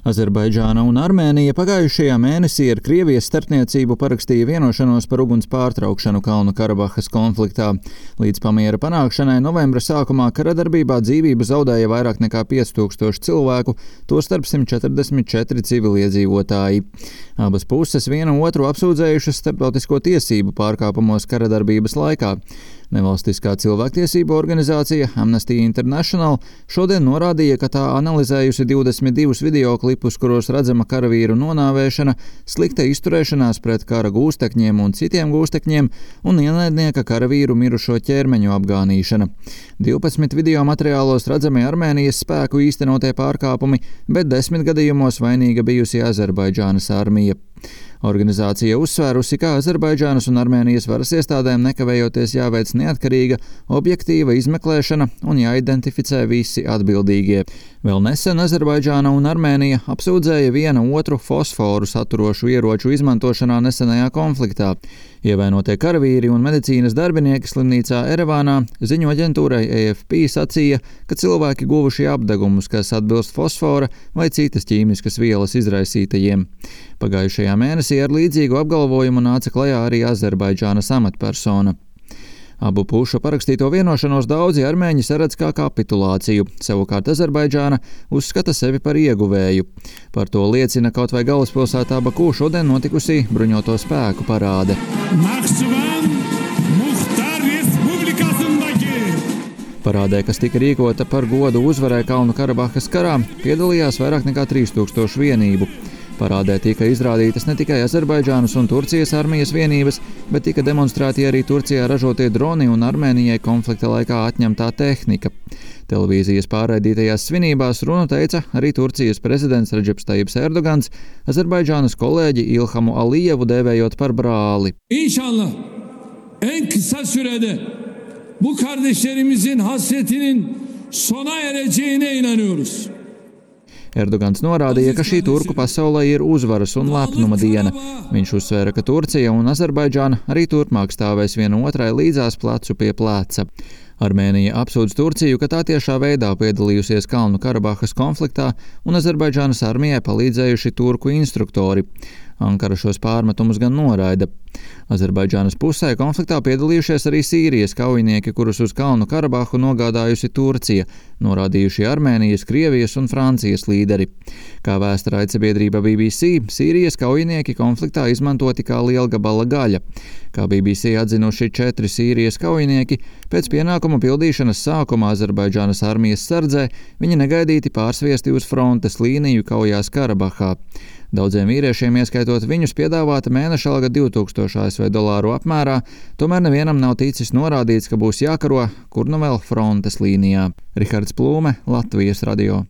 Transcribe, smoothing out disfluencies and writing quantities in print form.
Azerbaidžāna un Armēnija pagājušajā mēnesī ar Krievijas starpniecību parakstīja vienošanos par uguns pārtraukšanu Kalnu Karabahas konfliktā. Līdz pamiera panākšanai novembra sākumā karadarbībā dzīvību zaudēja vairāk nekā 5000 cilvēku, tostarp 144 civiliedzīvotāji. Abas puses vienu otru apsūdzējušas starptautisko tiesību pārkāpumos karadarbības laikā. Nevalstiskā cilvēktiesību organizācija Amnesty International šodien norādīja, ka tā analizējusi 22 videoklipus, kuros redzama karavīru nonāvēšana, slikta izturēšanās pret kara gūstekņiem un citiem gūstekņiem un ienaidnieka karavīru mirušo ķermeņu apgānīšana. 12 video materiālos redzami Armēnijas spēku īstenotie pārkāpumi, bet 10 gadījumos vainīga bijusi Azerbaidžānas armija. Organizācija uzsvērusi, ka Azerbaidžānas un Armēnijas varas iestādēm nekavējoties jāveic neatkarīga, objektīva izmeklēšana un jāidentificē visi atbildīgie. Vēl nesen Azerbaidžāna un Armēnija apsūdzēja viena otru fosforu saturošu ieroču izmantošanā nesenajā konfliktā. Ievainotie karavīri un medicīnas darbinieki slimnīcā Erevānā ziņu aģentūrai AFP sacīja, ka cilvēki guvuši apdegumus, kas atbilst fosfora vai citas ķīmiskas vielas izraisītajiem. Pagājušajā mēnesī ar līdzīgu apgalvojumu nāca klajā arī Azerbaidžānas amatpersona. Abu pušu parakstīto vienošanos daudzi armēņi saredz kā kapitulāciju, savukārt Azerbaidžāna uzskata sevi par ieguvēju. Par to liecina kaut vai galvaspilsētā Baku šodien notikusī bruņoto spēku parāde. Parādē, kas tika rīkota par godu uzvarai Kalnu Karabahas karā, piedalījās vairāk nekā 3000 vienību. Parādē tika izrādītas ne tikai Azerbaidžānas un Turcijas armijas vienības, bet tika demonstrēti arī Turcijā ražotie droni un Armēnijai konflikta laikā atņemtā tehnika. Televīzijas pārraidītajās svinībās runu teica arī Turcijas prezidents Redžeps Tajjips Erdogans, Azerbaidžānas kolēģi Ilhamu Alijevu dēvējot par brāli. İnşallah en kısa sürede bu kardeşlerimizin hasretinin sona ereceğine inanıyoruz. Erdogans norādīja, ka šī turku pasaulē ir uzvaras un lepnuma diena. Viņš uzsvēra, ka Turcija un Azerbaidžāna arī turpmāk stāvēs viena otrai līdzās plecu pie pleca. Armēnija apsūdz Turciju, ka tā tiešā veidā piedalījusies Kalnu Karabahas konfliktā un Azerbaidžānas armijai palīdzējuši turku instruktori. Ankara šos pārmetumus gan noraida. Azerbaidžānas pusē konfliktā piedalījušies arī Sīrijas kaujinieki, kurus uz Kalnu Karabahu nogādājusi Turcija, norādījuši Armēnijas, Krievijas un Francijas līderi. Kā vēsta raidsabiedrība BBC, Sīrijas kaujinieki konfliktā izmantoti kā lielgabala gaļa. Kā BBC atzinuši 4 Sīrijas kaujinieki, pēc pienākumu pildīšanas sākumā Azerbaidžānas armijas sardzē viņi negaidīti pārsviesti uz frontes līniju kaujās Karabahā. Daudziem vīriešiem, ieskaitot viņus, piedāvāta mēneša alga $2000 ASV apmērā, tomēr nevienam nav ticis norādīts, ka būs jākaro, kur nu vēl frontes līnijā. Rihards Plūme, Latvijas radio.